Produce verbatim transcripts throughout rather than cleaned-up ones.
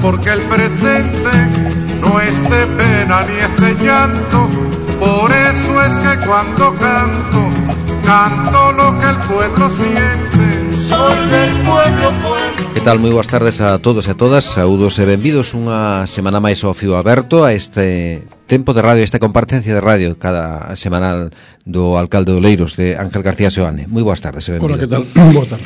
porque el presente no es de pena ni es de llanto. Por eso es que cuando canto, canto lo que el pueblo siente. Soy del pueblo, pueblo. Que tal? Moi boas tardes a todos e a todas. Saúdos e benvidos unha semana máis ao Fío Aberto, a este tempo de radio, esta comparecencia de radio cada semanal do alcalde de Oleiros, de Ángel García Seoane. Moi boas tardes e benvido. Hola, que tal? Boa tarde.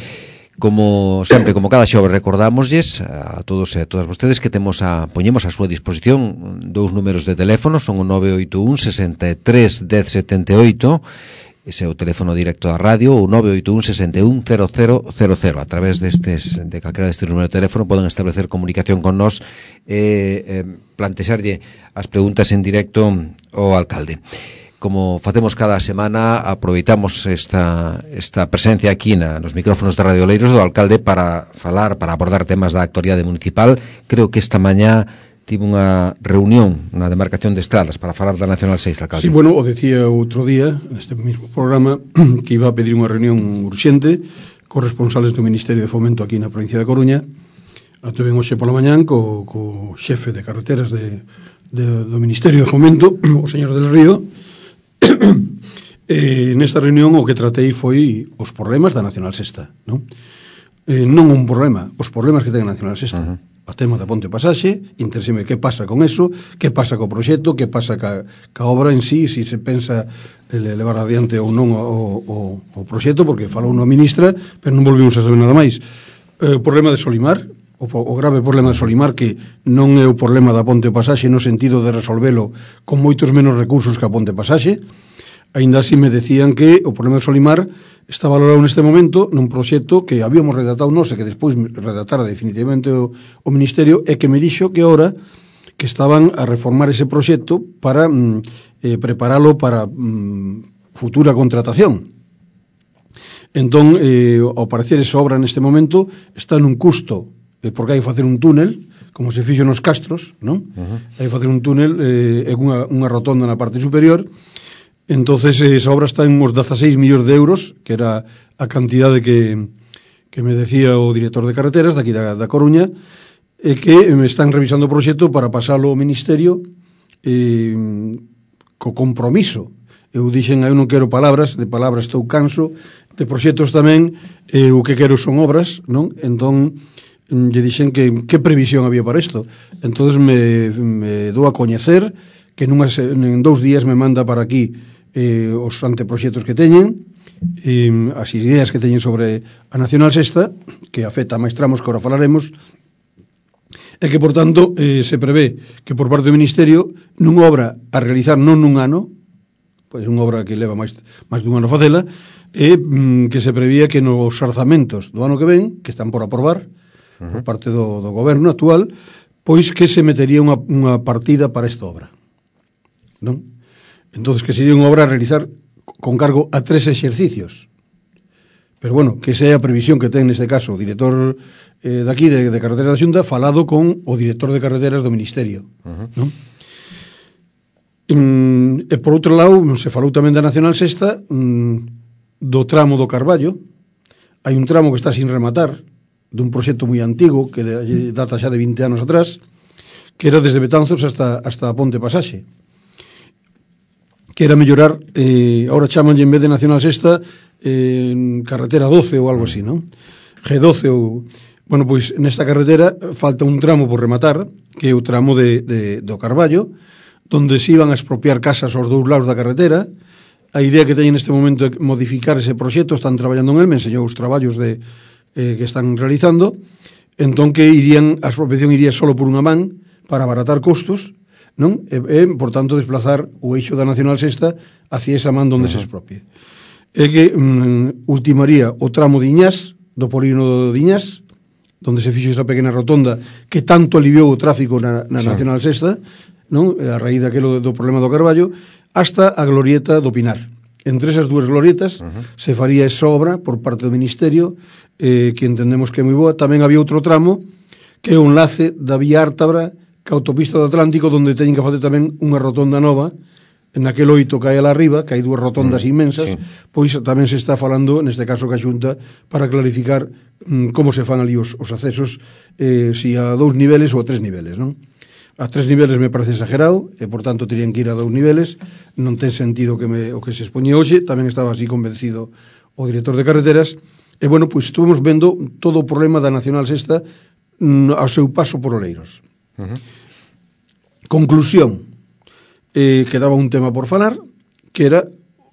Como sempre, como cada xoves, recordámoslles a todos e a todas vostedes que temos a poñemos a súa disposición dous números de teléfono, son o nove oito un, sesenta e tres, dez, setenta e oito, ese é o teléfono directo da radio, o nove oito un, sesenta e un, cero cero cero cero. A través destes, de calquera destes números de teléfono poden establecer comunicación con nós e eh, plantexarlle as preguntas en directo ao alcalde. Como facemos cada semana, aproveitamos esta, esta presencia aquí na, nos micrófonos de Radio Oleiros do alcalde para falar, para abordar temas da actualidade municipal. Creo que esta mañá tive unha reunión na demarcación de Estradas para falar da Nacional seis, alcalde. Sí, bueno, o decía outro día, neste mesmo programa, que iba a pedir unha reunión urxente cos responsables do Ministerio de Fomento aquí na provincia de Coruña. Atuven hoxe pola mañán co, co xefe de carreteras de, de, do Ministerio de Fomento, o señor del Río. Eh, nesta reunión o que tratei foi os problemas da Nacional Sexta, non? Eh, non un problema, os problemas que ten a Nacional Sexta. Uh-huh. O tema da Ponte Pasaxe, interéseme que pasa con eso, que pasa co proxecto, que pasa ca, ca obra en sí, se si se pensa levar adiante ou non o, o, o proxecto, porque falou unha ministra, pero non volvimos a saber nada máis. Eh, o problema de Solimar, o, o grave problema de Solimar, que non é o problema da Ponte Pasaxe no sentido de resolvelo con moitos menos recursos que a Ponte Pasaxe. Ainda así me decían que o problema de Solimar está valorado neste momento nun proxecto que habíamos redactado nós e que despois redactara definitivamente o, o Ministerio, e que me dixo que ahora que estaban a reformar ese proxecto para mm, eh, preparalo para mm, futura contratación. Entón, eh, ao parecer esa obra neste momento está nun custo, eh, porque hai que facer un túnel, como se fixo nos Castros, non? Uh-huh. Hai que facer un túnel eh, e unha, unha rotonda na parte superior. Entonces esa obra está en uns dezaseis millóns de euros, que era a cantidade que, que me decía o director de carreteras daqui da, da Coruña, e que me están revisando o proxecto para pasalo ao Ministerio eh, co compromiso. Eu dixen, eu non quero palabras, de palabras estou canso, de proxectos tamén, eh, o que quero son obras, non? Entón, lle dixen que que previsión había para isto. Entón me, me dou a coñecer que nunhas, en dous días me manda para aquí eh, os anteproxectos que teñen, eh, as ideas que teñen sobre a Nacional Sexta, que afecta a máis tramos que ahora falaremos, e que, por tanto, eh, se prevé que por parte do Ministerio nunha obra a realizar non nun ano, pois unha obra que leva máis, máis dun ano facela, e mm, que se prevía que nos orzamentos do ano que ven, que están por aprobar, uh-huh, por parte do, do goberno actual, pois que se metería unha, unha partida para esta obra, non? Entonces que sería unha obra a realizar con cargo a tres exercicios. Pero bueno, que esa é a previsión que ten neste caso o director eh, daqui de, de Carreteras da Xunta, falado con o director de Carreteras do Ministerio, uh-huh, non? Mm, e por outro lado, se falou tamén da Nacional Sexta, mm, do tramo do Carballo. Hai un tramo que está sin rematar, dun proxecto moi antigo, que de, data xa de vinte anos atrás, que era desde Betanzos hasta, hasta a Ponte Pasaxe, que era mellorar, eh, ahora chamanlle en vez de Nacional Sexta eh, carretera doce ou algo así, non? G doce ou... Bueno, pois nesta carretera falta un tramo por rematar, que é o tramo de, de, do Carballo, donde se iban a expropiar casas aos dous lados da carretera. A idea que teñen neste momento é modificar ese proxecto, están traballando en el, me enseñou os traballos de, eh, que están realizando, entón que irían, a expropiación iría solo por unha man para abaratar costos, non? E, e, por tanto, desplazar o eixo da Nacional Sexta hacia esa man donde uh-huh, se expropie. É que mm, ultimaría o tramo de Iñás, do polígono de Iñás, donde se fixo esa pequena rotonda que tanto aliviou o tráfico na, na sí, Nacional Sexta, non? A raíz daquelo do problema do Carballo, hasta a glorieta do Pinar. Entre esas dúas glorietas uh-huh, se faría esa obra por parte do Ministerio, eh, que entendemos que é moi boa. Tamén había outro tramo que é o enlace da Vía Ártabra ca autopista do Atlántico, donde teñen que facer tamén unha rotonda nova naquel oito que hai alá arriba, que hai dúas rotondas mm, inmensas, sí. Pois tamén se está falando, neste caso que a Xunta, para clarificar mm, como se fan ali os, os accesos, eh, si a dous niveles ou a tres niveles, non? A tres niveles me parece exagerado, e por tanto terían que ir a dous niveles, non ten sentido que me, o que se expoñe hoxe, tamén estaba así convencido o director de carreteras, e bueno, pois estuvemos vendo todo o problema da Nacional Sexta mm, ao seu paso por Oleiros. Uh-huh. Conclusión, eh, quedaba un tema por falar, que era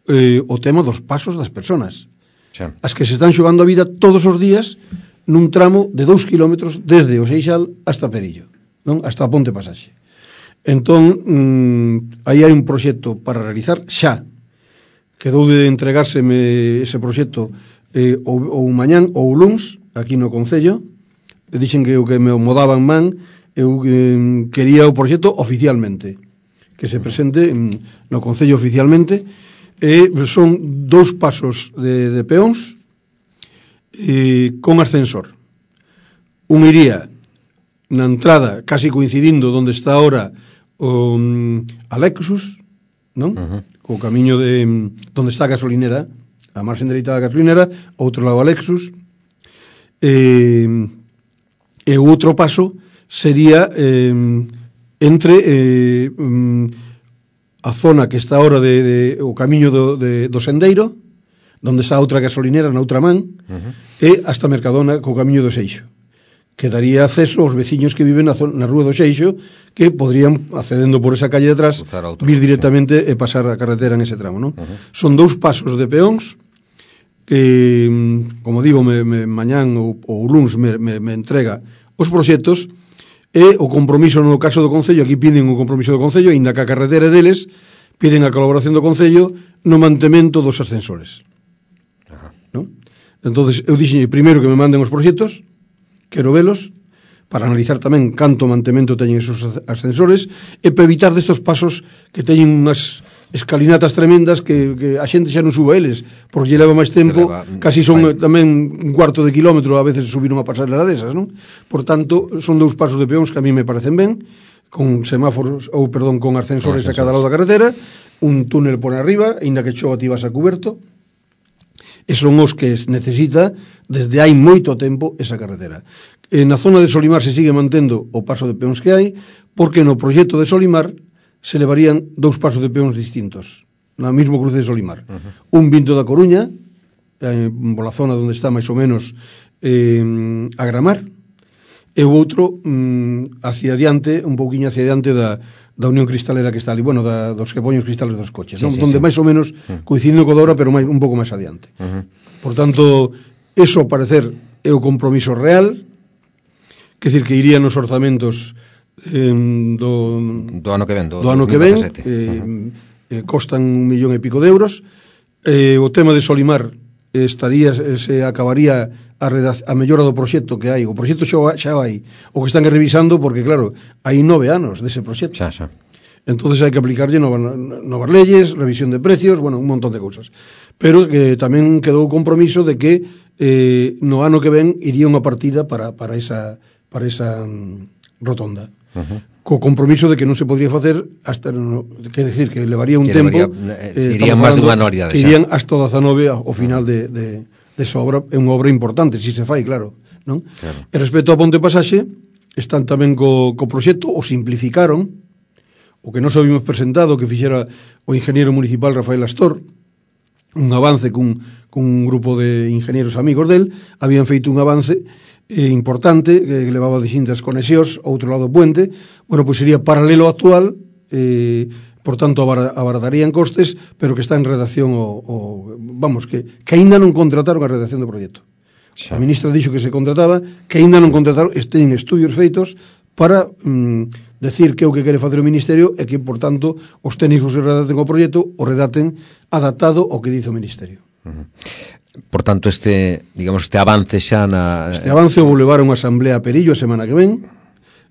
eh, o tema dos pasos das persoas, sí. As que se están xogando a vida todos os días nun tramo de dous kilómetros desde o Seixal hasta Perillo, non? Hasta a Ponte Pasaxe. Entón, mm, aí hai un proxecto para realizar xa. Quedou de entregárseme ese proxecto eh, ou, ou mañán ou luns aquí no Concello. Dixen que o que me modaban man, eu eh, quería o proxecto oficialmente, que se presente mm, no Concello oficialmente. E son dous pasos de, de peóns eh, con ascensor. Un iría na entrada, casi coincidindo onde está ahora o um, Alexus, non? Uh-huh. Co camiño de onde está a gasolinera, a marxen dereita da gasolinera, outro lado Alexus, e, e o outro paso sería eh, entre eh, a zona que está ahora de, de o camiño do, de, do Sendeiro, onde está outra gasolinera na outra man, uh-huh. E hasta Mercadona co camiño do Seixo, que daría acceso aos veciños que viven na, zona, na rúa do Seixo, que podrían, accedendo por esa calle de atrás, vir directamente e pasar a carretera en ese tramo, non? Uh-huh. Son dous pasos de peóns que, como digo, me, me, mañán ou, ou luns me, me, me entrega os proxectos. E o compromiso no caso do Concello, aquí piden o compromiso do Concello, ainda que a carretera deles, piden a colaboración do Concello no mantemento dos ascensores. Ajá. ¿No? Entonces, eu dixen primeiro que me manden os proxectos, quero velos, para analizar tamén canto mantemento teñen esos ascensores, e para evitar destos pasos que teñen unhas escalinatas tremendas que, que a xente xa non suba eles, porque lle leva máis tempo, leva, casi son vai. Tamén un cuarto de kilómetro a veces subir unha pasarela desas, non? Por tanto, son dous pasos de peóns que a mí me parecen ben, con semáforos, ou perdón, con ascensores a cada lado da carretera, un túnel por arriba, aínda que chova ti vas a cuberto, e son os que necesita desde hai moito tempo esa carretera. E na zona de Solimar se sigue mantendo o paso de peóns que hai, porque no proxecto de Solimar se levarían dous pasos de peóns distintos na mesmo cruce de Solimar. Uh-huh. Un vinto da Coruña, eh, pola zona onde está máis ou menos eh, a Gramar, e o outro mm, hacia adiante, un pouquiño hacia adiante da, da Unión Cristalera que está ali, bueno, da, dos que poñen os cristales dos coches, sí, non? Sí, donde sí. Máis ou menos coincidindo co da hora, pero máis, un pouco máis adiante. Uh-huh. Por tanto, eso, ao parecer, é o compromiso real, que decir que irían os orzamentos eh, do, do ano que ven, do, do ano que ven, eh, uh-huh. eh, costan un millón e pico de euros. Eh, o tema de Solimar eh, estaría, eh, se acabaría a, redac- a mellora do proxecto que hai. O proxecto xa, xa hai, o que están revisando, porque claro, hai nove anos dese proxecto. Xa, xa. Entonces hai que aplicarlle novas, novas leyes, revisión de precios, bueno, un montón de cousas. Pero que tamén quedou o compromiso de que eh, no ano que ven iría unha partida para, para esa, para esa um, rotonda. Uh-huh. Co compromiso de que non se podría facer hasta, no, que decir, que levaría un que tempo, levaría, eh, irían máis dunha noria que irían hasta o dezanove ao final de, de, de esa obra. É unha obra importante, si se fai, claro, non? Claro. E respecto ao Ponte Pasaxe, están tamén co, co proxecto, o simplificaron, o que non sabíamos presentado, que fixera o ingeniero municipal Rafael Astor, un avance cun, cun grupo de ingenieros amigos del, habían feito un avance eh, importante, que levaba distintas conexións, outro lado do puente, bueno, pois sería paralelo ao actual, eh, por tanto abaratarían costes, pero que está en redacción o, o vamos, que, que aínda non contrataron a redacción do proxecto. Sí. A ministra dixo que se contrataba, que aínda non contrataron, estén estudios feitos para mm, decir que o que quere facer o Ministerio é que, por tanto, os técnicos que redacten o proxecto o redacten adaptado ao que dice o Ministerio. Uh-huh. Por tanto, este, digamos, este avance xa na... Este avance o vou levar a unha asamblea a Perillo a semana que ven,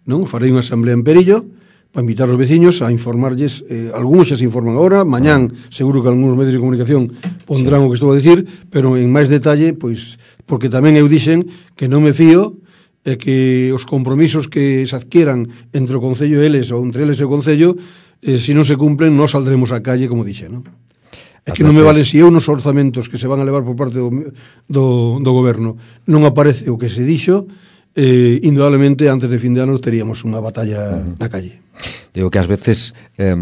non? Farei unha asamblea en Perillo para invitar aos veciños a informarlles, eh, algúns xa se informan agora, mañán seguro que algúns medios de comunicación pondrán sí. o que estou a dicir, pero en máis detalle, pois, porque tamén eu dixen que non me fío e que os compromisos que se adquieran entre o Concello e eles ou entre eles e o Concello eh, se non se cumplen, non saldremos á calle, como dixe, non? É que As non me vale veces- se eu nos orzamentos que se van a levar por parte do, do, do goberno non aparece o que se dixo, eh, indudablemente antes de fin de ano teríamos unha batalla uh-huh. na calle. Digo que ás veces eh,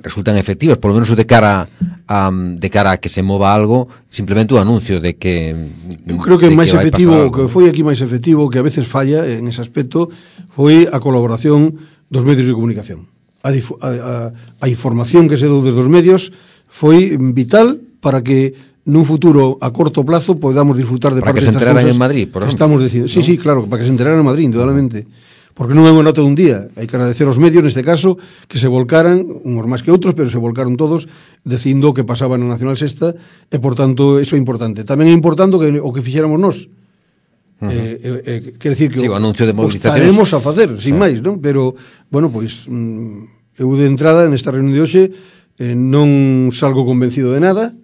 resultan efectivas, por lo menos de cara a, de cara a que se mova algo, simplemente o anuncio de que eu creo que de máis que vai efectivo, pasar o que foi aquí máis efectivo, que a veces falla en ese aspecto, foi a colaboración dos medios de comunicación. A, difu- a, a, a información que se dou desde os medios foi vital para que nun futuro a corto plazo podamos disfrutar de Para parte que se destas enteraran cousas en Madrid, por que ejemplo, estamos dicindo. Sí, ¿no? sí, claro, para que se enteraran en Madrid, indudablemente. Porque non é unha nota dun día. Hai que agradecer aos medios, neste caso, que se volcaran, uns máis que outros, pero se volcaron todos, dicindo o que pasaba na Nacional Sexta, e, por tanto, iso é importante. Tamén é importante que, o que fixéramos nós. Uh-huh. Eh, eh, eh, quer decir que sí, o anuncio de o movilizacións estaremos a facer, sin sí. máis, non? Pero, bueno, pois, mm, eu de entrada, nesta reunión de hoxe, eh, non salgo convencido de nada,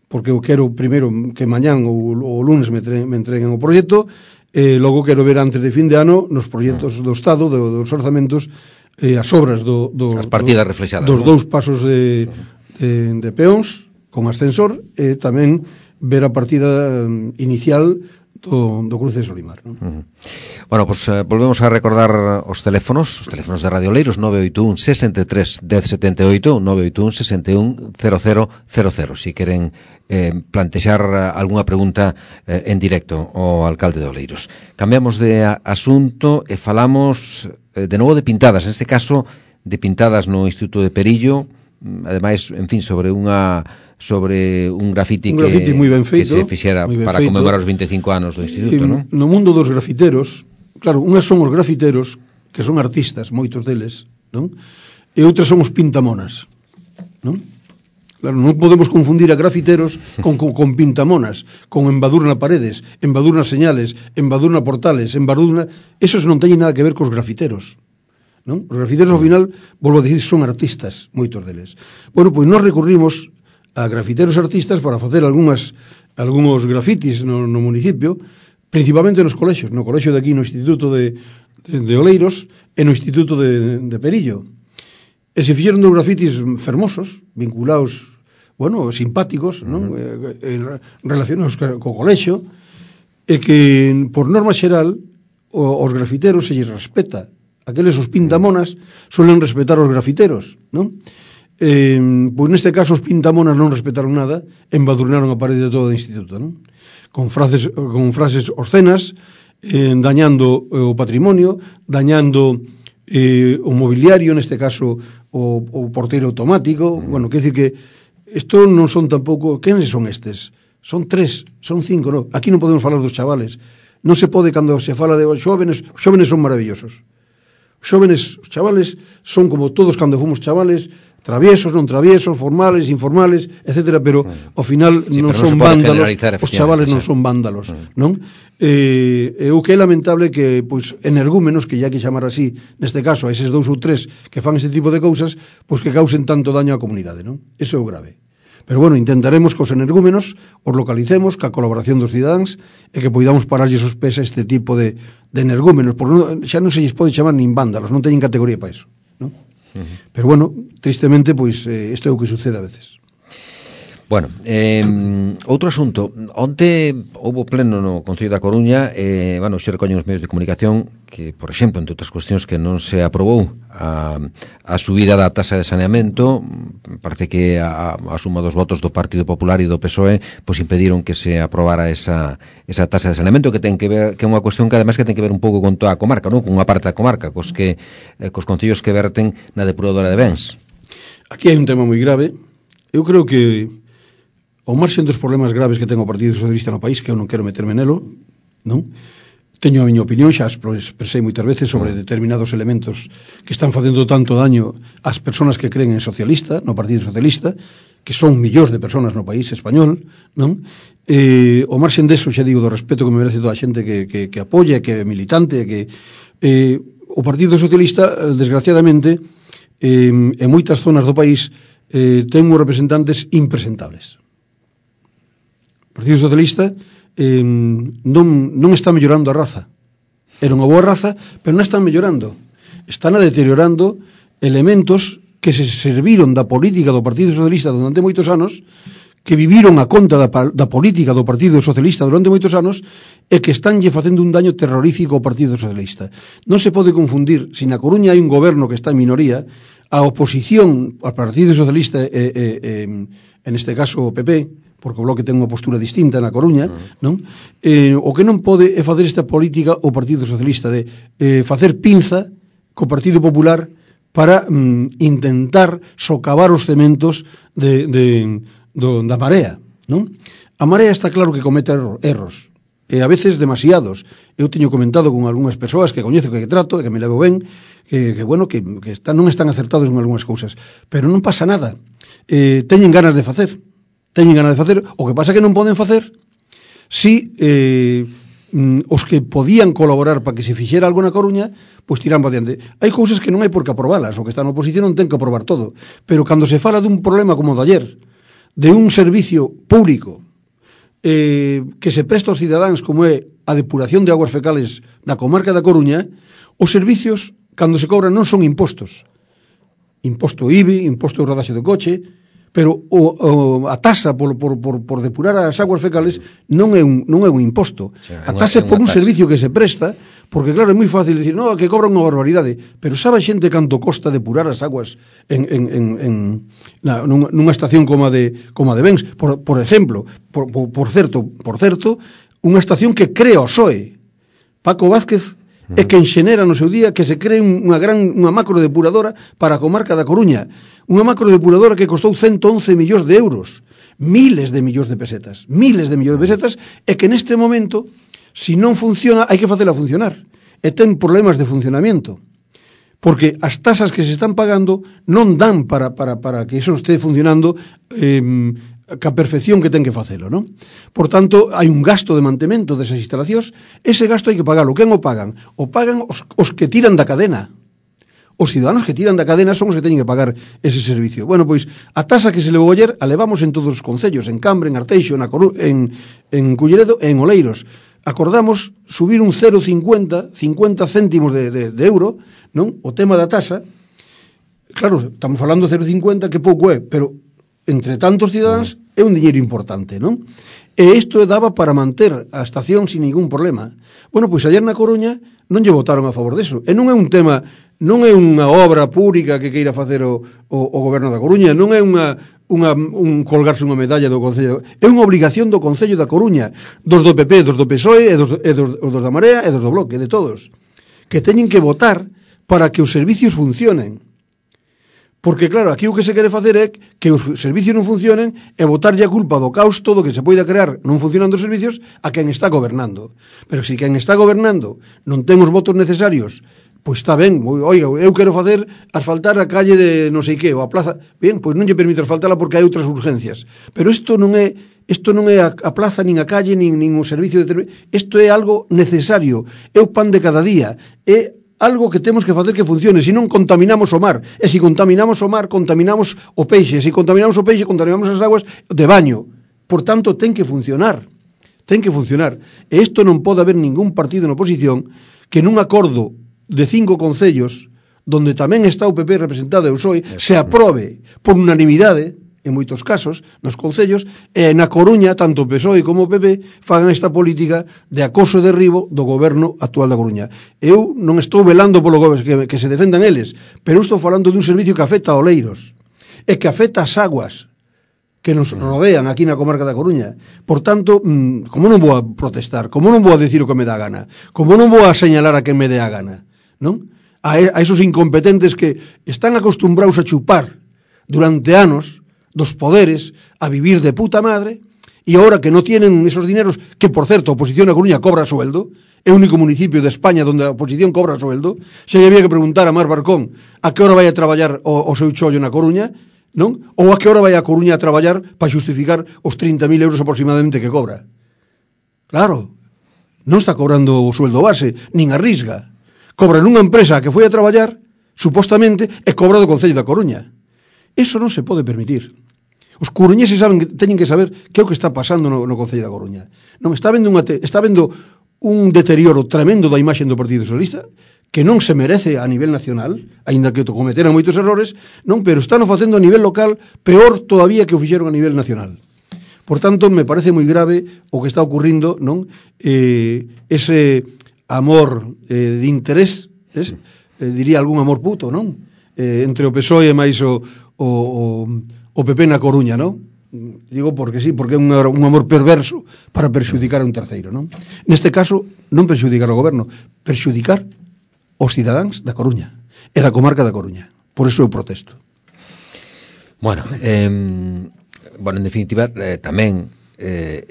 porque eu quero primeiro que mañán ou o lunes me, tre- me entreguen o proxecto, e logo quero ver antes de fin de ano nos proxectos do Estado, do, dos orzamentos, eh, as obras do, do, as partidas do, reflexadas, dos non? dous pasos de, de, de peóns con ascensor, e tamén ver a partida mm, inicial do, do cruce de Solimar, non? Uh-huh. Bueno, pues eh, volvemos a recordar os teléfonos, os teléfonos de Radio Oleiros, nove oito un, sesenta e tres, dez setenta e oito, nove oito un, sesenta e un, cero cero cero cero, si queren eh, plantexar algunha pregunta eh, en directo ao alcalde de Oleiros. Cambiamos de a, asunto e falamos eh, de novo de pintadas, en este caso de pintadas no Instituto de Perillo, ademais, en fin, sobre unha sobre un grafiti, un grafiti que, moi ben feito, que se fixera para feito. Conmemorar os vinte e cinco anos do Instituto, non? No mundo dos grafiteros, claro, unhas son os grafiteros, que son artistas, moitos deles, non? E outras son os pintamonas, non? Claro, non podemos confundir a grafiteros con, con, con pintamonas, con embadur na paredes, embadur nas señales, embadur na portales, embadur na... Esos non teñen nada que ver cos grafiteros, non? Os grafiteros, ao final, volvo a dicir, son artistas, moitos deles. Bueno, pois nós recurrimos a grafiteros artistas para facer algunhas, algúns grafitis no, no municipio, principalmente nos colexios, no colexio de aquí, no Instituto de, de, de Oleiros e no Instituto de, de Perillo. E se fixeron dos grafitis fermosos, vinculados, bueno, simpáticos, non? Uh-huh. eh, eh, relacionados co, co colexio, e que, por norma xeral, o, os grafiteros se lles respeta. Aqueles os pintamonas suelen respetar os grafiteros, non? Eh, pois neste caso os pintamonas non respetaron nada, embadurnaron a parede de todo o instituto, non? Con frases, con frases obscenas, eh, dañando eh, o patrimonio, dañando eh, o mobiliario, neste caso o, o porteiro automático. Mm. Bueno, quer dicir que isto non son tampouco... Quenes son estes? Son tres, son cinco, non? Aquí non podemos falar dos chavales. Non se pode, cando se fala de xóvenes, os xóvenes son maravillosos. Os xóvenes, os chavales, son como todos cando fomos chavales, traviesos, non traviesos, formales, informales, etcétera, pero ao final sí, non no son vándalos, os chavales non sí. son vándalos, Mm. non? Eh, e o que é lamentable que, pois, energúmenos, que ya que chamar así, neste caso, a eses dous ou tres que fan este tipo de cousas, pois que causen tanto daño á comunidade, non? Eso é o grave. Pero, bueno, intentaremos que os energúmenos os localicemos, ca colaboración dos cidadáns, e que poidamos pararlles os pés a este tipo de, de energúmenos, porque non, xa non se lles pode chamar nin vándalos, non teñen categoría para iso, non? Uh-huh. Pero bueno, tristemente, pois, eh, isto é o que sucede a veces. Bueno, eh, outro asunto. Onte houve pleno no Concello da Coruña, eh, bueno, xe recoñen os medios de comunicación que, por exemplo, entre outras cuestións, que non se aprobou a, a subida da tasa de saneamento. Parece que a, a suma dos votos do Partido Popular e do P S O E pois impediron que se aprobara esa, esa tasa de saneamento, que ten que ver, que é unha cuestión que ademais que ten que ver un pouco con toda a comarca, non? Con unha parte da comarca, cos que eh, cos concellos que verten na depuradora de bens. Aquí hai un tema moi grave. Eu creo que ao marxen dos problemas graves que ten o Partido Socialista no país, que eu non quero meterme nelo, non? Teño a miña opinión, xa expresei moitas veces sobre determinados elementos que están facendo tanto daño ás persoas que creen en socialista, no Partido Socialista, que son millóns de persoas no país español, non? Eh, o marxen deso, xa digo, do respeto que me merece toda a xente que, que, que apoia, que é militante, que eh, o Partido Socialista, desgraciadamente, eh, en moitas zonas do país eh, ten uns representantes impresentables. O Partido Socialista eh, non, non está mellorando a raza. Era unha boa raza, pero non están mellorando. Están a deteriorando elementos que se serviron da política do Partido Socialista durante moitos anos, que viviron a conta da, da política do Partido Socialista durante moitos anos e que estánlle facendo un daño terrorífico ao Partido Socialista. Non se pode confundir, se na Coruña hai un goberno que está en minoría, a oposición ao Partido Socialista, e, e, e, en este caso o P P, porque o Bloque ten unha postura distinta na Coruña, uh-huh. non? Eh, o que non pode é facer esta política o Partido Socialista de eh, facer pinza co Partido Popular para mm, intentar socavar os cementos de, de, do, da Marea, non? A Marea está claro que comete erros, e a veces demasiados. Eu teño comentado con algunhas persoas que coñezo, que trato, que me levo ben, que, que bueno, que, que están, non están acertados en algunhas cousas, pero non pasa nada. Eh, teñen ganas de facer, teñen ganas de facer, o que pasa que non poden facer si eh, os que podían colaborar para que se fixera algo na Coruña, pois tiran para diante. Hai cousas que non hai por que aprobalas, o que está na oposición non ten que aprobar todo, pero cando se fala dun problema como o de ayer, de un servicio público eh, que se presta aos cidadáns, como é a depuración de aguas fecales na comarca da Coruña, os servicios, cando se cobran, non son impostos. Imposto I B I, imposto de rodaxe do coche, pero o, o, a tasa por, por, por, por depurar as aguas fecales non é un, non é un imposto. O sea, a tasa é por un tasa. Servicio que se presta, porque claro, é moi fácil dicir, no, que cobran unha barbaridade, pero sabe a xente canto costa depurar as aguas en, en, en, en na, nunha, nunha estación como a de, como a de Bens, por, por exemplo, por, por, por certo, por certo, unha estación que crea o P S O E. Paco Vázquez é quen xenera no seu día que se cree unha gran unha macro depuradora para a comarca da Coruña, unha macro depuradora que costou ciento once millóns de euros, miles de millóns de pesetas, miles de millóns de pesetas, e que neste momento, se non funciona, hai que facela funcionar, e ten problemas de funcionamento, porque as tasas que se están pagando non dan para, para, para que iso este funcionando eh, ca perfección que ten que facelo, non? Por tanto, hai un gasto de mantemento desas instalacións, ese gasto hai que pagalo. Quen o pagan? O pagan os, os que tiran da cadena. Os ciudadanos que tiran da cadena son os que teñen que pagar ese servicio. Bueno, pois, a tasa que se levou ayer a levamos en todos os concellos, en Cambre, en Arteixo, na Coru, en, en Culleredo e en Oleiros. Acordamos subir un cero coma cincuenta, cincuenta céntimos de, de, de euro, non? O tema da tasa, claro, estamos falando de cero coma cincuenta, que pouco é, pero entre tantos cidadáns é un diñeiro importante, non? E isto daba para manter a estación sin ningún problema. Bueno, pois ayer na Coruña non lle votaron a favor deso. E non é un tema, non é unha obra pública que queira facer o, o, o goberno da Coruña, non é unha, unha, un colgarse unha medalla do Concello. É unha obligación do Concello da Coruña, dos do P P, dos do P S O E, e dos, e dos, dos da Marea e dos do Bloque, de todos, que teñen que votar para que os servicios funcionen. Porque, claro, aquí o que se quere facer é que os servicios non funcionen e botarlle a culpa do caos todo que se poida crear non funcionando os servicios a quen está gobernando. Pero se quen está gobernando non ten os votos necesarios, pois está ben, oiga, eu quero facer asfaltar a calle de non sei que, ou a plaza, ben, pois non lle permite asfaltala porque hai outras urgencias. Pero isto non é isto non é a, a plaza, nin a calle, nin, nin o servicio de... Isto é algo necesario, é o pan de cada día, é algo que temos que facer que funcione, se non contaminamos o mar, e se contaminamos o mar, contaminamos o peixe, se contaminamos o peixe, contaminamos as aguas de baño. Por tanto, ten que funcionar, ten que funcionar. E isto non pode haber ningún partido na oposición que nun acordo de cinco concellos, donde tamén está o P P representado e o P S O E, se aprobe por unanimidade, en moitos casos, nos concellos, e na Coruña, tanto o P S O E como o P P fagan esta política de acoso e derribo do goberno actual da Coruña. Eu non estou velando polo goberno que, que se defendan eles, pero estou falando dun servicio que afecta a Oleiros, e que afecta as aguas que nos rodean aquí na comarca da Coruña. Por tanto, como non vou a protestar, como non vou a decir o que me dá a gana, como non vou a señalar a quen me dé a gana, non? A, a esos incompetentes que están acostumbrados a chupar durante anos dos poderes, a vivir de puta madre, e ahora que non tienen esos dineros, que por certo a oposición a Coruña cobra sueldo, é o único municipio de España onde a oposición cobra sueldo, se había que preguntar a Mar Barcón a que hora vai a traballar o, o seu chollo na Coruña, non? Ou a que hora vai a Coruña a traballar para justificar os trinta mil euros aproximadamente que cobra. Claro, non está cobrando o sueldo base, nin a risga. Cobra nunha empresa que foi a traballar, supostamente, e cobra do Concello da Coruña. Eso non se pode permitir. Os coruñeses saben que teñen que saber que é o que está pasando no, no Concello da Coruña. Non está vendo unha te, está vendo un deterioro tremendo da imaxe do Partido Socialista, que non se merece a nivel nacional, aínda que cometeran moitos errores, non, pero están facendo a nivel local peor todavía que o fixeron a nivel nacional. Por tanto, me parece moi grave o que está ocurrindo, non? Eh, ese amor eh, de interés, es? Eh, diría algún amor puto, non? Eh, entre o P S O E e máis o, o, o, o P P na Coruña, non? Digo porque sí, porque é un, un amor perverso para perxudicar a un terceiro, non? Neste caso, non perxudicar ao goberno, perxudicar os cidadáns da Coruña e da comarca da Coruña. Por iso eu protesto. Bueno, eh, bueno, en definitiva, eh, tamén eh,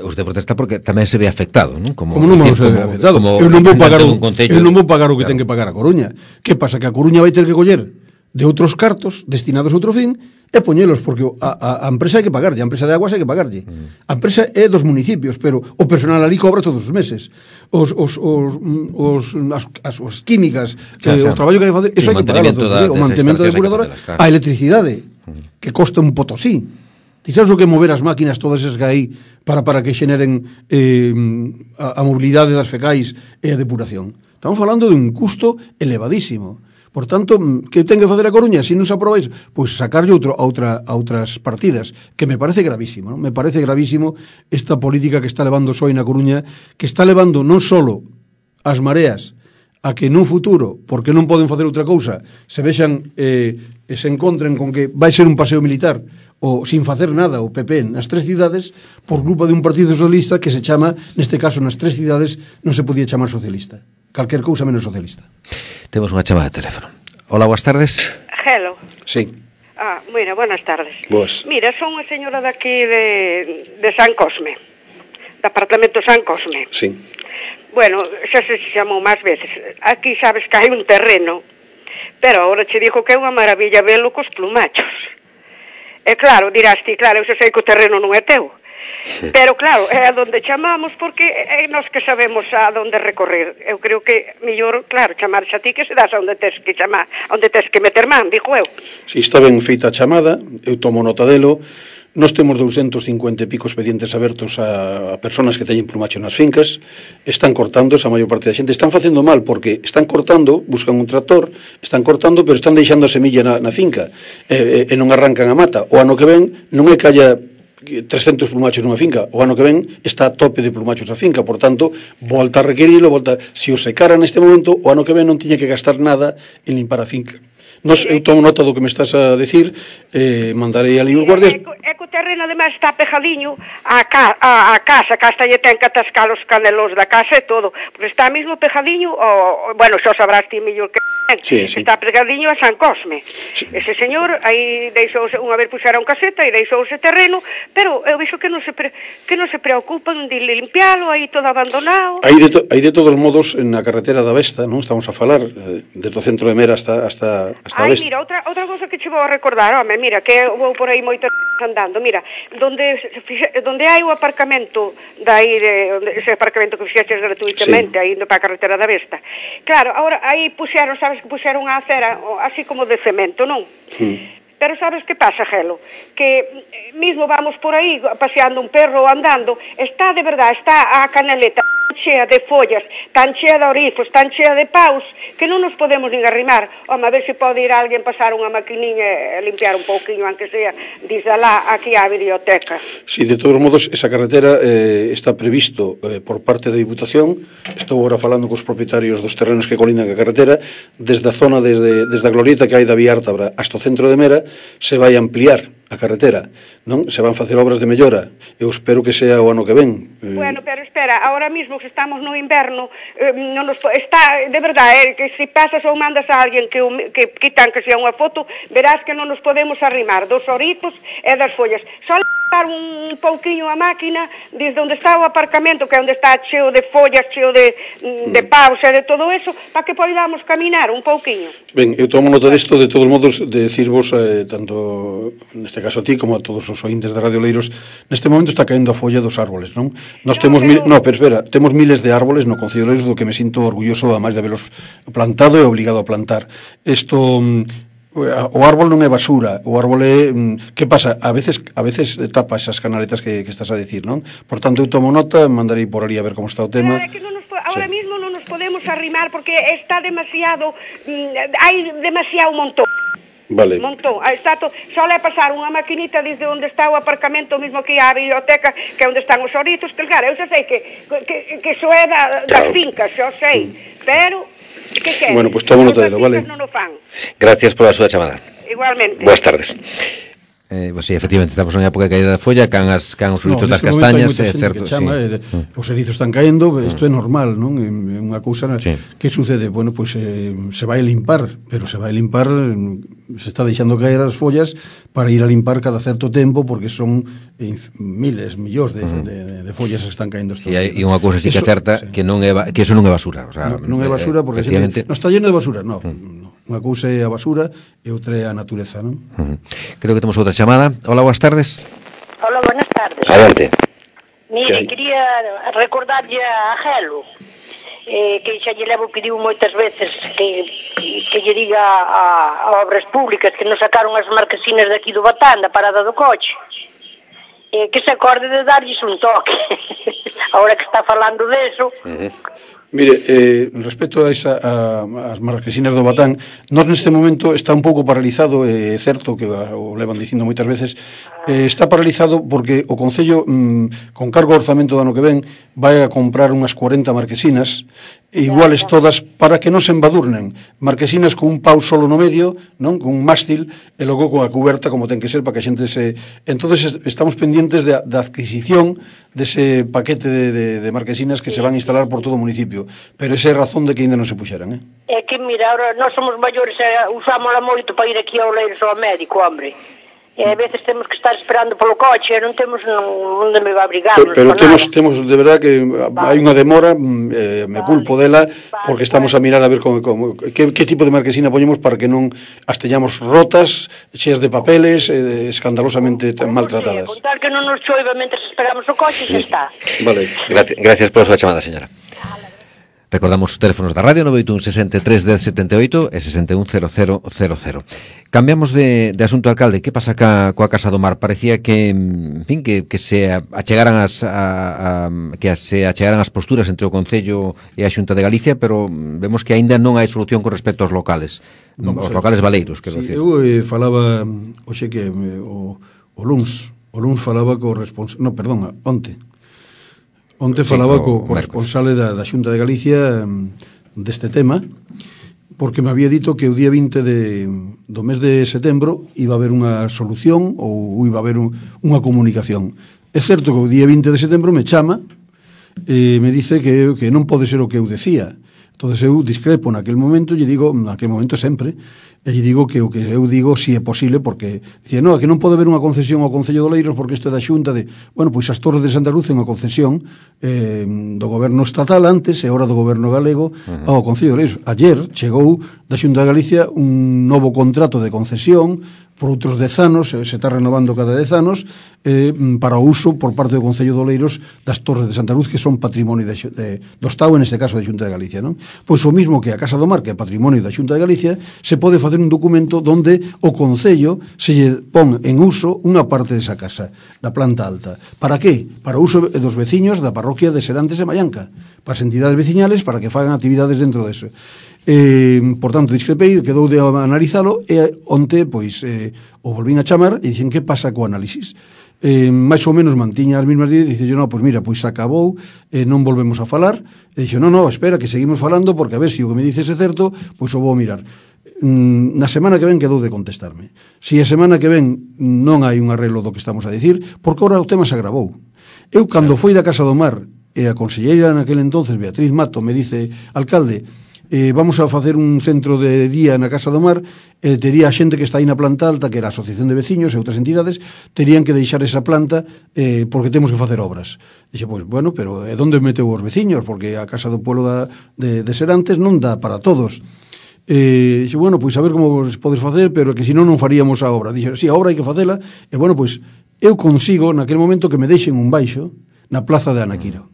os de protesta porque tamén se ve afectado, non? Como, como non vamos decir, a ver como, afectado? Como eu non vou pagar o, concello, eu non vou pagar o que claro. ten que pagar a Coruña. Que pasa? Que a Coruña vai ter que coller de outros cartos destinados a outro fin e poñelos, porque a, a, a empresa hai que pagarlle, a empresa de aguas hai que pagarlle. Mm. A empresa é dos municipios, pero o personal ali cobra todos os meses. Os, os, os, os, as, as, as químicas, xa, eh, xa. o traballo que hai que facer, eso sí, hai que pagarlo. da, O mantemento da depuradora, claro. A electricidade, mm. que costa un potosí. Ti sabes o que mover as máquinas todas esas que hai para, para que xeneren eh, a, a mobilidade das fecais e a depuración? Estamos falando de un custo elevadísimo. Por tanto, que ten que facer a Coruña? Se non se aproba iso, pois sacarlle outro, a, outra, a outras partidas, que me parece gravísimo, non? Me parece gravísimo esta política que está levando o P S O E na Coruña, que está levando non só as mareas a que nun futuro, porque non poden facer outra cousa, se vexan eh, e se encontren con que vai ser un paseo militar ou sin facer nada o P P nas tres cidades por culpa de un partido socialista que se chama, neste caso nas tres cidades non se podía chamar socialista, calquer cousa menos socialista. Temos unha chamada de teléfono. Hola, boas tardes. Hello. Sí. Ah, mira, buenas tardes. Boas. Mira, son unha señora daqui de, de San Cosme, do apartamento San Cosme. Sí. Bueno, xa se chamou máis veces. Aquí sabes que hai un terreno, pero agora che digo que é unha maravilla velo cos plumachos. E claro, dirás ti, claro, eu xa sei que o terreno non é teu. Pero claro, é a donde chamamos porque é nós que sabemos a donde recorrer. Eu creo que mellor, claro, chamarse a ti que se das a onde tes que chamar, onde tes que meter man, digo eu. Si está ben feita a chamada, eu tomo nota delo. Nós temos doscientos cincuenta e pico expedientes abertos a, a personas que teñen plumacho nas fincas, están cortando, esa maior parte da xente, están facendo mal porque están cortando, buscan un tractor, están cortando, pero están deixando a semilla na, na finca, e, e, e non arrancan a mata. O ano que ven non é que haya trescentos plumachos nunha finca, o ano que ven está a tope de plumachos a finca, por tanto, volta a requerilo, volta, se o secara neste momento, o ano que ven non tiña que gastar nada en limpar a finca. Nos, eu tomo nota do que me estás a decir, eh, mandarei ali os guardias. É que o terreno ademais está pejadiño a, ca, a, a casa, que hasta lle ten que atascar os canelos da casa e todo, porque está mesmo pejadiño, o, bueno, xa sabrás ti mellor que sí, sí. Está pejadiño a San Cosme. Sí. Ese señor aí deixouse, unha vez puxera un caseta e deixouse terreno, pero eu vexo que non se pre, que non se preocupan de limpialo aí todo abandonado. Aí de, to, aí de todos modos na carretera da Vesta, non estamos a falar eh, desde o centro de Mera hasta hasta hasta Ai, mira, outra, outra cosa que che vou a recordar, home, mira, que eu vou por aí moito andando, mira, donde donde hai o aparcamento dai de, onde, ese aparcamento que fixeches gratuitamente, sí. Aí indo para a carretera da Vesta. Claro, agora aí puxeron, sabes que puxeron a acera así como de cemento, non? Sí. Pero sabes que pasa, Gelo? Que mismo vamos por aí paseando un perro ou andando, está de verdade, está a canaleta chea de follas, tan chea de orifos, tan chea de paus, que non nos podemos nin arrimar. Home, a ver se pode ir alguén pasar unha maquiniña e limpiar un pouquiño, aunque sea, dice alá, aquí á biblioteca. Sí, de todos modos, esa carretera eh, está previsto eh, por parte da Diputación. Estou agora falando cos propietarios dos terrenos que colindan a carretera, desde a zona, desde, desde a glorieta que hai da Vía Ártabra hasta o centro de Mera, se vai ampliar a carretera, non? Se van facer obras de mellora. Eu espero que sea o ano que ven. Bueno, pero espera, ahora mismo que estamos no inverno, eh, non nos está, de verdade, eh, que se pasas ou mandas a alguén que, que quitan que sea unha foto, verás que non nos podemos arrimar dos oritos e das follas. Só levar un pouquiño a máquina desde onde está o aparcamento, que é onde está cheo de follas, cheo de, de paus e de todo eso, para que podamos caminar un pouquiño. Ben, eu tomo nota disto, de todos modos, de decirvos, eh, tanto neste caso a ti como a todos os ointes de Radio Leiros, neste momento está caendo a folla dos árboles, non? Nós no, temos pero... mil, no, pero espera, temos miles de árboles no Concello de Leiros, do que me sinto orgulloso, ademais de habelos plantado e obligado a plantar. Isto, o árbol non é basura, o árbol é, que pasa? A veces a veces tapa esas canaletas que, que estás a decir, non? Por tanto, eu tomo nota, mandarei por ali a ver como está o tema. Claro, que non nos, ahora sí. Mismo non nos podemos arrimar porque está demasiado, mm, hai demasiado montón. Vale. Montón. Está to... Só é pasar unha maquinita desde onde está o aparcamento, mesmo que a biblioteca, que é onde están os orizos, que claro, eu xa sei que, que, que iso é da, das fincas, xa sei, mm. pero que quer? Bueno, pues tomo nota delo, vale. Non o fan. Gracias pola súa chamada. Igualmente. Boas tardes. Eh, pues sí, efectivamente, estamos en época de caída da folla, can as can os frutos no, das castañas, é certo, certo, chama, sí. eh, mm. Os erizos están caendo, isto mm. é normal, non? É unha cousa sí. Que sucede, bueno, pois pues, eh, se vai limpar, pero se vai limpar, se está deixando caer as follas para ir a limpar cada certo tempo, porque son eh, miles, millóns de, mm. de, de follas que están caendo. E hai unha cousa sí que é certa, sí. que non é que eso non é basura, o sea, non, non é basura porque efectivamente... non está lleno de basura, non. Mm. Unha cousa é a basura e outra é a natureza, non? Uh-huh. Creo que temos outra chamada. Hola, boas tardes. Hola, buenas tardes. Adelante. Mire, quería recordarlle a Gelo, eh, que xa lle levo pediu moitas veces que, que lle diga a, a Obras Públicas que nos sacaron as marquesinas de aquí do Batán, da parada do coche, eh, que se acorde de darlles un toque. Ahora que está falando deso... Uh-huh. Mire, eh, respecto a, esa, a, as marquesinas do Batán, nós neste momento está un pouco paralizado, é eh, certo que o levan dicindo moitas veces, eh, está paralizado porque o Concello, mm, con cargo ao orzamento do ano que ven, vai a comprar unhas cuarenta marquesinas, iguales todas, para que non se embadurnen. Marquesinas con un pau solo no medio, non, con un mástil, e logo con a cuberta como ten que ser para que a xente se... Entonces estamos pendientes da, da adquisición dese paquete de, de, de marquesinas que se van a instalar por todo o municipio, pero esa é a razón de que ainda non se puxeran, eh? É que, mira, ahora nós somos maiores e usámola moito para ir aquí ao Leiros ao médico, hombre. E a veces temos que estar esperando polo coche, non temos onde me va a abrigar. Pero, pero temos, temos de verdad que vale. Hai unha demora, eh, me vale. culpo dela, vale, porque estamos vale. a mirar a ver como, como, que, que tipo de marquesina poñemos para que non as teñamos rotas, cheas de papeles, eh, escandalosamente tan maltratadas. Con tal que non nos choiva mentre esperamos o coche, xa está. Vale. Gracias, gracias pola súa chamada, señora. Recordamos os teléfonos da radio nove oito un sesenta e tres dez setenta e oito e sesenta e un cero cero cero cero. Cambiamos de, de asunto, alcalde. Que pasa ca, coa Casa do Mar? Parecía que, en fin, que, que se achegaran as a, a, que se achegaran as posturas entre o Concello e a Xunta de Galicia, pero vemos que aínda non hai solución con respecto aos locales. Vamos os locales baleiros, quero sí, decir. Eu eh, falaba, oxe que me, o, o luns, o luns falaba co responsable, no, perdón, onte. Onte falaba sí, co, co responsable da, da Xunta de Galicia um, deste tema, porque me había dito que o día vinte de, do mes de setembro iba a haber unha solución ou iba a haber un, unha comunicación. É certo que o día vinte de setembro me chama e me dice que, que non pode ser o que eu decía. Entón eu discrepo naquele momento, lle digo, naquele momento sempre, e lle digo que o que eu digo si é posible, porque dicía, no, que non pode haber unha concesión ao Concello de Oleiros porque isto é da Xunta de... Bueno, pois as Torres de Santa Luz é unha concesión eh, do goberno estatal antes e ahora do goberno galego uh-huh. ao Concello de Oleiros. Ayer chegou da Xunta de Galicia un novo contrato de concesión por outros dez anos, se está renovando cada dez anos, eh, para o uso por parte do Concello de Oleiros das Torres de Santa Luz, que son patrimonio de, de, do Estado, en este caso da Xunta de Galicia, non? Pois o mismo que a Casa do Mar, que é patrimonio da Xunta de Galicia, se pode facer un documento donde o Concello se lle pon en uso unha parte desa casa, da planta alta. Para que? Para o uso dos veciños da parroquia de Serantes e Mallanca, para as entidades veciñales, para que fagan actividades dentro deso. Eh, por tanto, discrepei, quedou de analizalo e onte, pois, eh, o volvín a chamar e dicen que pasa co análisis. Eh, máis ou menos mantiña as mesmas ideas e dice, no, pois mira, pois acabou, eh, non volvemos a falar. E dixo, no, no, espera, que seguimos falando porque a ver se o que me dices é certo, pois o vou mirar. Mm, na semana que ven quedou de contestarme. Si a semana que ven non hai un arreglo do que estamos a dicir, porque ora o tema se agravou. Eu, cando foi da Casa do Mar e a conselleira naquele entonces, Beatriz Mato, me dice, alcalde, Eh, vamos a facer un centro de día na Casa do Mar, eh, tería a xente que está aí na planta alta, que era a Asociación de Veciños e outras entidades, terían que deixar esa planta eh, porque temos que facer obras. Dixe, pois, bueno, pero é onde meteu os veciños? Porque a Casa do Pueblo da, de, de Serantes non dá para todos. Eh, dixe, bueno, pois a ver como podes facer, pero que senón non faríamos a obra. Dixe, si, sí, a obra hai que facela, e bueno, pois eu consigo naquele momento que me deixen un baixo na plaza de Anaquiro,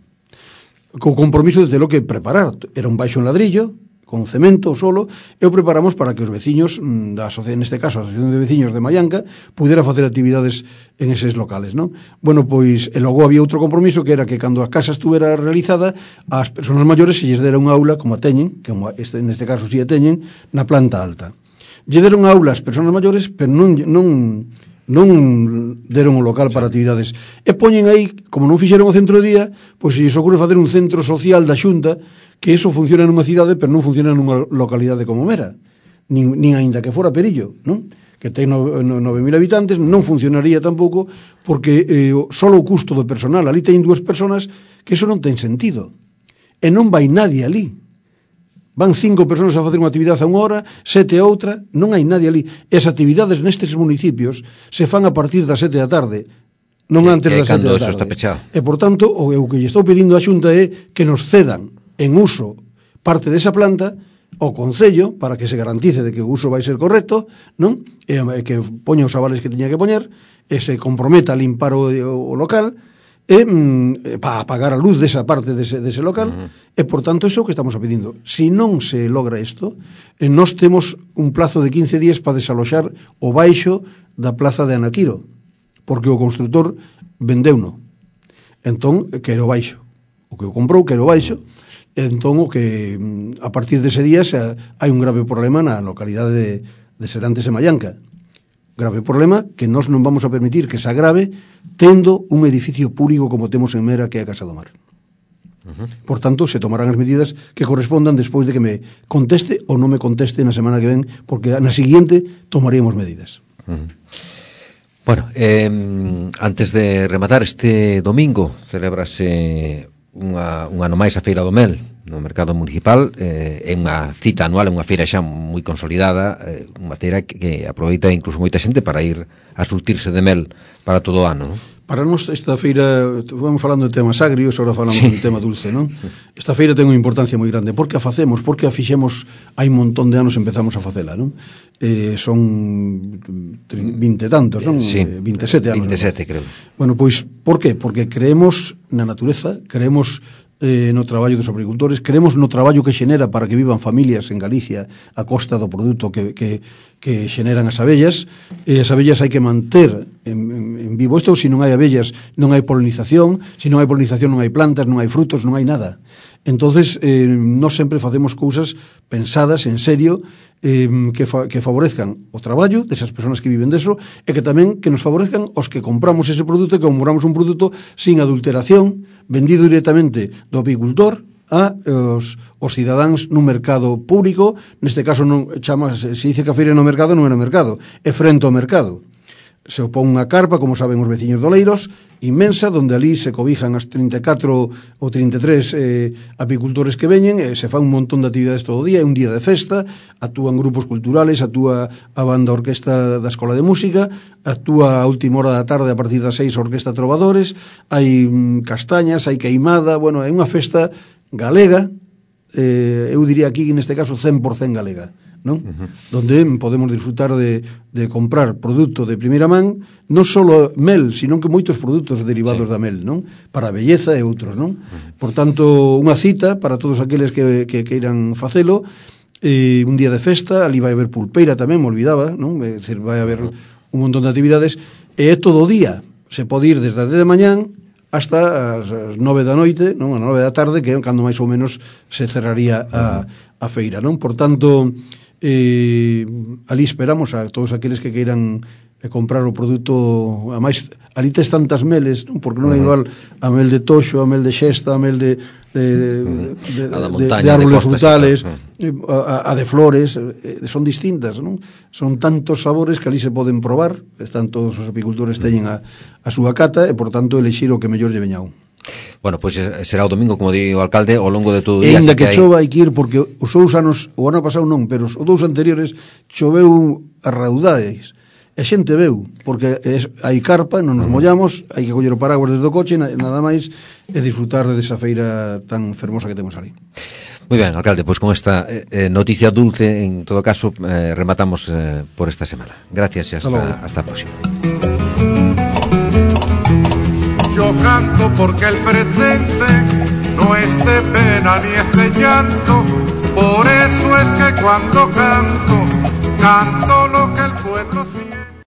co compromiso de telo que preparar. Era un baixo en ladrillo, con cemento solo, e o preparamos para que os veciños da asociación, neste caso a Asociación de Veciños de Mallanca, pudera facer actividades en eses locales, non? Bueno, pois, e logo había outro compromiso que era que cando a casa estuvera realizada, as persoas maiores se lles dera unha aula como a teñen, que este, neste caso si a teñen, na planta alta. Lle deron aula ás persoas maiores, pero non non non deron o local para actividades. E poñen aí, como non fixeron o centro de día, pois se lles ocurre facer un centro social da Xunta, que eso funciona nunha cidade, pero non funciona nunha localidade como Mera, nin, nin aínda que fora Perillo, non? Que ten nove mil habitantes, non funcionaría tampouco, porque eh, só o custo do personal, ali teñen dúas personas, que eso non ten sentido. E non vai nadie ali. Van cinco persoas a facer unha actividade a unha hora, sete a outra, non hai nadie ali. E as actividades nestes municipios se fan a partir das sete da tarde, non que, antes que das sete da tarde. Está pechado. E, por tanto, o, o que lle estou pedindo á Xunta é que nos cedan en uso parte desa planta ao Concello para que se garantice de que o uso vai ser correcto, non? E, e que poña os avales que teña que poñer, e se comprometa a limpar o, o, o local, e mm, para apagar a luz desa parte dese, dese local, uh-huh. E por tanto iso é o que estamos pedindo. Se non se logra isto, eh, nós temos un plazo de quince días para desaloxar o baixo da plaza de Anaquiro, porque o constructor vendeuno. Entón, quero baixo. O que o comprou quero baixo. Entón, o que a partir dese día se, hai un grave problema na localidade de, de Serantes e Mallanca. Grave problema que nós non vamos a permitir que se agrave tendo un edificio público como temos en Mera, que é a Casa do Mar. Uh-huh. Por tanto, se tomarán as medidas que correspondan despois de que me conteste ou non me conteste na semana que ven, porque na siguiente tomaríamos medidas. Uh-huh. Bueno, eh, antes de rematar, este domingo celebrase unha, un ano máis a Feira do Mel no mercado municipal, eh, é unha cita anual, é unha feira xa moi consolidada, eh, unha feira que, que aproveita incluso moita xente para ir a surtirse de mel para todo o ano, non? Para nós esta feira, vamos falando de temas agrios, agora falamos sí. de tema dulce, non? Esta feira ten unha importancia moi grande. Por que a facemos? Por que a fixemos hai un montón de anos empezamos a facela, non? Eh, son vinte tantos, non? Sí, vinte e sete anos. vinte e sete, creo. Bueno, pois, por que? Porque creemos na natureza, creemos eh, no traballo dos agricultores, creemos no traballo que xenera para que vivan familias en Galicia a costa do produto que, que, que xeneran as abellas, e as abellas hai que manter en, en, en vivo isto, se non hai abellas non hai polinización, se non hai polinización non hai plantas, non hai frutos, non hai nada. Entonces, eh, nós sempre facemos cousas pensadas en serio, eh, que, fa, que favorezcan o traballo desas persoas que viven deso, e que tamén que nos favorezcan os que compramos ese produto, e que compramos un produto sin adulteración, vendido directamente do apicultor a os, os cidadáns nun mercado público. Neste caso non chama, se dice que a feira no mercado, non é no mercado, é frente ao mercado. Se opón unha carpa, como saben os veciños de Oleiros, inmensa, donde ali se cobijan as trinta e catro ou trinta e tres eh, apicultores que veñen, e se fan un montón de actividades todo o día, é un día de festa, actúan grupos culturales, actúa a banda orquesta da Escola de Música, actúa a última hora da tarde a partir das seis a Orquesta Trovadores, hai mm, castañas, hai queimada, bueno, é unha festa galega, eh, eu diría aquí neste caso cen por cen galega, non? Uh-huh. Donde podemos disfrutar de, de comprar produto de primeira man, non só mel, sino que moitos produtos derivados sí. da mel, non? Para a belleza e outros, non? Uh-huh. Por tanto, unha cita para todos aqueles que, que queiran facelo, eh, un día de festa, ali vai haber pulpeira tamén, me olvidaba, non? É dicir, vai haber uh-huh. un montón de actividades, e é todo o día, se pode ir desde as dez de mañán hasta as nove da noite, non? A nove da tarde, que é cando máis ou menos se cerraría a, a feira, non? Por tanto, eh, ali esperamos a todos aqueles que queiran eh, comprar o produto, a máis ali tes tantas meles, non? Porque non é igual a mel de toxo, a mel de xesta, a mel de de, de, de, montaña, de, de árboles frutales, a, a de flores, eh, son distintas, non? Son tantos sabores que ali se poden probar, están todos os apicultores teñen a, a súa cata, e por tanto elixir o que mellor lle veña un. Bueno, pois pues será o domingo, como di o alcalde, ao longo de todo o día. E ainda que, que chova hai que ir, porque os dous anos, o ano pasado non, pero os dous anteriores choveu a raudades. E xente veu, porque es, hai carpa, non nos mollamos, hai que coller o paraguas desde o coche, nada máis, e disfrutar desa feira tan fermosa que temos ali. Moi ben, alcalde, pois con esta eh, noticia dulce, en todo caso, eh, rematamos eh, por esta semana. Gracias e hasta, hasta a próxima. Yo canto porque el presente no es de pena ni es de llanto, Por eso es que cuando canto, canto lo que el pueblo siente.